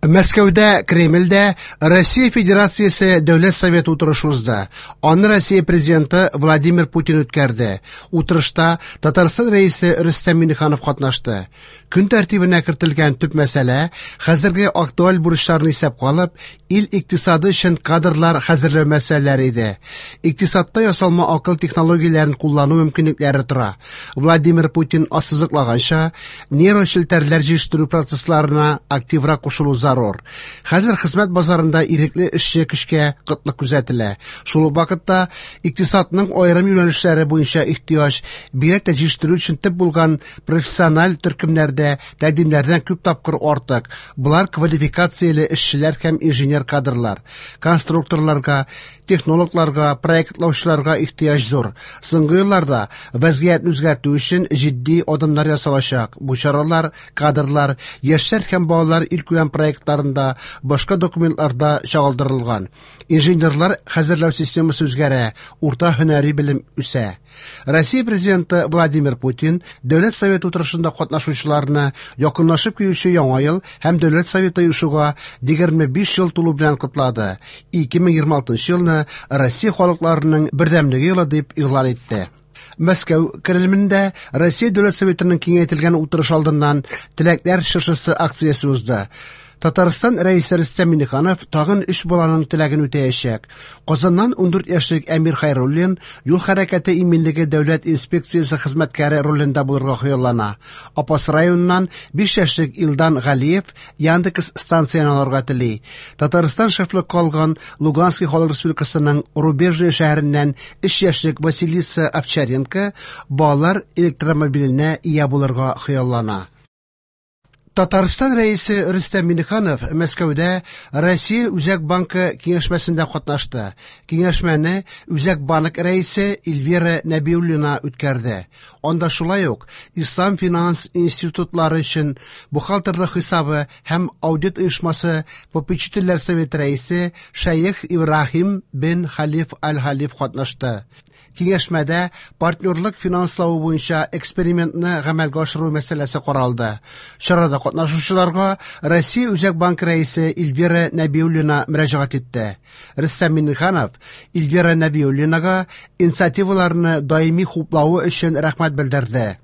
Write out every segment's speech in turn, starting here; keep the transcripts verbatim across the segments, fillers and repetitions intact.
Мәскәүдә, Кремльдә Россия Федерациясе Дәүләт Советы утырышы узды. Аны Россия Президенты Владимир Путин үткәрде. Утырышта Татарстан Рәисе Рөстәм Миңнеханов катнашты. Көн тәртибенә кертелгән төп мәсьәлә хәзерге актуаль бурычларны исәпкә алып, ил икътисады өчен кадрлар хәзерләү мәсьәләләре иде. Икътисадта ясалма акыл технологияләрен куллану мөмкинлекләре тора. Владимир Путин ассызыклаганча, нейрочелтәрләр җитештерү процессларына активрак кушылу зарур. Хәзер хезмәт базарында ирекле эшче көчкә кытлык күзәтелә. Шул ук вакытта икътисадның аерым юнәлешләре буенча ихтыяҗ, бигрәк тә җитештерү өчен төп булган профессиональ төркемнәрдә тәкъдимнәрдән күп тапкыр артык. Болар квалификацияле эшчеләр һәм инженер кадрлар. Конструкторларга, технологларга, проектлаучыларга ихтыяҗ зур. Соңгы елларда вәзгыятьне үзгәртү өчен җитди адымнар ясалачак. Бу чаралар кадрлар, яшьләр һәм балалар илкүләм проектларында, башка документларда чагылдырылган. Инженерлар хәзерләү системасы үзгәрә, урта һөнәри белем үсә. Россия Президенты Владимир Путин Дәүләт Советы утырышында катнашучыларны якынлашып килүче Яңа ел һәм Дәүләт Советы оешуга егерме биш ел тулу белән котлады. ике мең егерме алтынчы елны Россия халыкларының бердәмлеге елы дип игълан итте. Мәскәү Кремлендә Россия Дәүләт Советының киңәйтелгән утырышы алдыннан Теләкләр чыршысы акциясе узды. Татарстан Рәисе Рөстәм Миңнеханов тагын өч баланың теләген үтәячәк. Казаннан ундүрт яшьлек Әмир Хайруллин юл хәрәкәте иминлеге дәүләт инспекциясе хезмәткәре ролендә булырга хыяллана. Апас районыннан биш яшьлек Илдан Галиев Яндекс станцияне алырга тели. Татарстан шефлыкка алган Луганский халык республикасының Рубежное шәһәреннән өч яшьлек Василиса Овчаренко балалар электромобиленә ия булырга хыяллана. Татарстан Рәисе Рөстәм Миңнеханов Мәскәүдә Россия Үзәк банкы киңәшмәсендә катнашты. Киңәшмәне Үзәк банк рәисе Эльвира Нәбиуллина үткәрде. Анда шулай ук Ислам финанс институтлары өчен бухгалтерлык хисабы һәм аудит оешмасы попечительләр советы рәисе Шәех Ибраһим бен Халиф Аль-Халиф катнашты. Киңәшмәдә партнерлык финанславы буенча экспериментны гамәлгә ашыру мәсьәләсе каралды. Чарада катнашучыларга Россия Үзәк банк рәисе Эльвира Нәбиуллина мөрәҗәгать итте. Рөстәм Миңнеханов Эльвира Нәбиуллинага инициативаларны даими хуплавы өчен рәхмәт белдерде.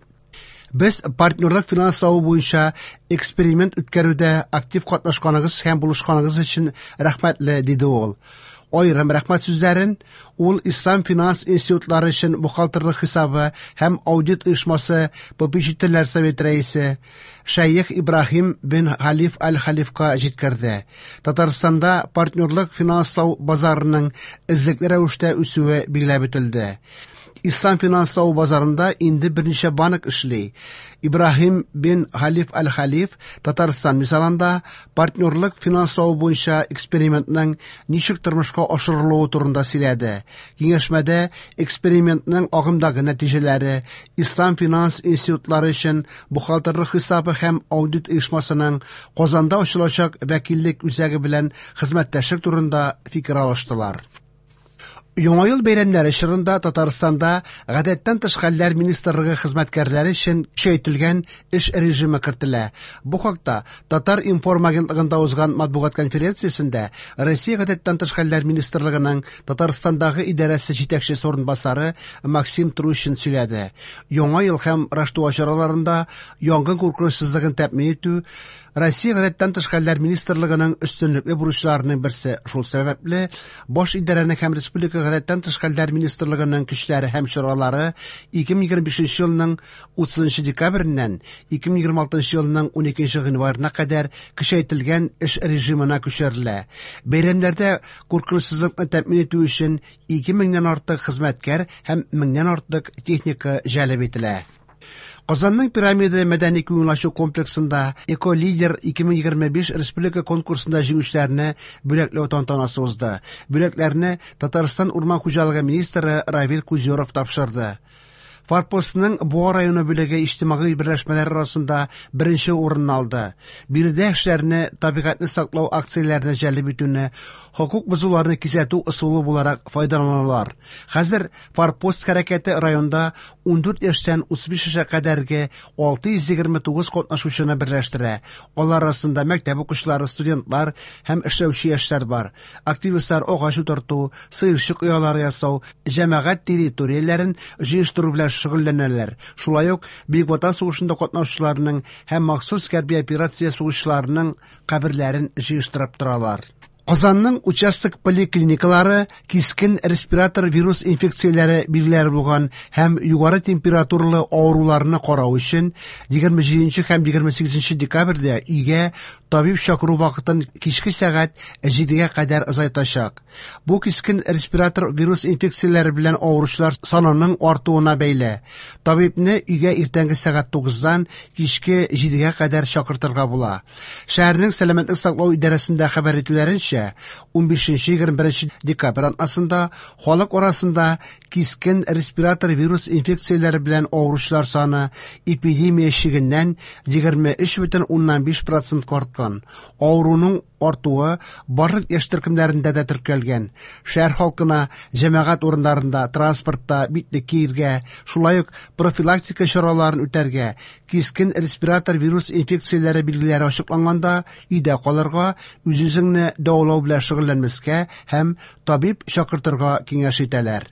Без партнерлык финанславы буенча эксперимент үткәрүдә актив катнашканыгыз һәм булышканыгыз өчен рәхмәтле, диде ул. Аерым рәхмәт сүзләрен ул Ислам финанс институтлары өчен бухгалтерлык хисабы һәм аудит оешмасы попечительләр советы рәисе Шәех Ибраһим бен Халиф Аль-Халифка җиткерде. Татарстанда партнерлык финанслау базарының эзлекле рәвештә үсүе билгеләп үтелде. Ислам финанслау базарында инде берничә банк эшли. Ибраһим бен Халиф Аль-Халиф Татарстан мисалында партнерлык финанслау буенча экспериментның ничек тормышка ашырылуы турында сөйләде. Киңәшмәдә экспериментның агымдагы нәтиҗәләре, Ислам финанс институтлары өчен бухгалтерлык хисабы һәм аудит оешмасының Казанда ачылачак вәкиллек үзәге белән хезмәттәшлек турында фикер алыштылар. Яңа ел бәйрәмнәре чорында Татарстанда гадәттән тыш хәлләр министрлыгы хезмәткәрләре өчен көчәйтелгән эш режимы кертелә. Бу хакта Татар информ агентлыгында узган матбугат конференциясендә Россия гадәттән тыш хәлләр министрлыгының Татарстандагы идарәсе җитәкчесе урынбасары Максим Трущин сөйләде. Яңа ел һәм Раштуа чараларында янгын куркынычсызлыгын тәэмин итү Россия гадәттән тыш хәлләр министрлыгының өстенлекле бурычларының берсе. Шул сәбәпле баш идарәнең һәм республика гадәттән тыш хәлләр министрлыгының көчләре һәм чаралары ике мең егерме бишенче елның утызынчы декабреннән ике мең егерме алтынчы елның уникенче гыйнварына кадәр көчәйтелгән эш режимына күчерелә. Бәйрәмнәрдә куркынычсызлыкны тәэмин итү өчен ике меңнән артык хезмәткәр һәм меңнән артык техника җәлеп ителә. Казанның пирамида мәдәни күңел ачу комплексында Эко-лидер ике мең егерме биш республика конкурсында җиңүчеләрне бүләкләү тантанасы узды. Бүләкләрне Татарстан урман хуҗалыгы министры Равил Кузюров тапшырды. Форпостның Буа районы бүлеге иҗтимагый берләшмәләр арасында беренче урынны алды. Биредә эшләрне табигатьне саклау акцияләренә җәлеп итүне, хокук бозуларны кисәтү ысулы буларак файдаланалар. Хәзер Форпост хәрәкәте районда ундүрт яшьтән утыз биш яшькә кадәрге алты йөз егерме тугыз катнашучыны берләштерә. Алар арасында мәктәп укучылары, студентлар һәм эшләүче яшьләр бар. Активистлар агач утырту, сыерчык оялары ясау, җәмәгать территорияләрен җыештыру белән шөгыльләнәләр. Шулай ук Бөек Ватан сугышында катнашучыларның һәм махсус хәрби операция сугышчыларының каберләрен җыештырып торалар. Казанның участок поликлиникалары кискен респиратор вирус инфекцияләре билгеләре булган һәм югары температуралы авыруларны карау өчен егерме җиденче һәм егерме сигезенче декабрьдә өйгә табиб чакыру вакытын кичке сәгать җидегә кадәр озайтачак. Бу кискен респиратор вирус инфекцияләре белән авыручылар санының артуына бәйле. Табибны өйгә иртәнге сәгать тугыздан кичке җидегә кадәр чакыртырга була. Шәһәрнең сәламәтлек саклау идарәсендә хәбәр итүләренчә, унбишенче егерме беренче декабрь атнасында халык арасында кискен респиратор вирус инфекцияләре белән авыручылар саны эпидемия чигеннән егерме өч бөтен уннан биш процентка арткан. Авыруның артуы барлык яшь төркемнәрендә дә теркәлгән. Шәһәр халкына җәмәгать урыннарында, транспортта битлек киергә, шулай ук профилактика чараларын үтәргә, кискен респиратор вирус инфекцияләре билгеләре ачыкланганда өйдә калырга, үз-үзеңне дәвалау белән шөгыльләнмәскә һәм табиб чакыртырга киңәш итәләр.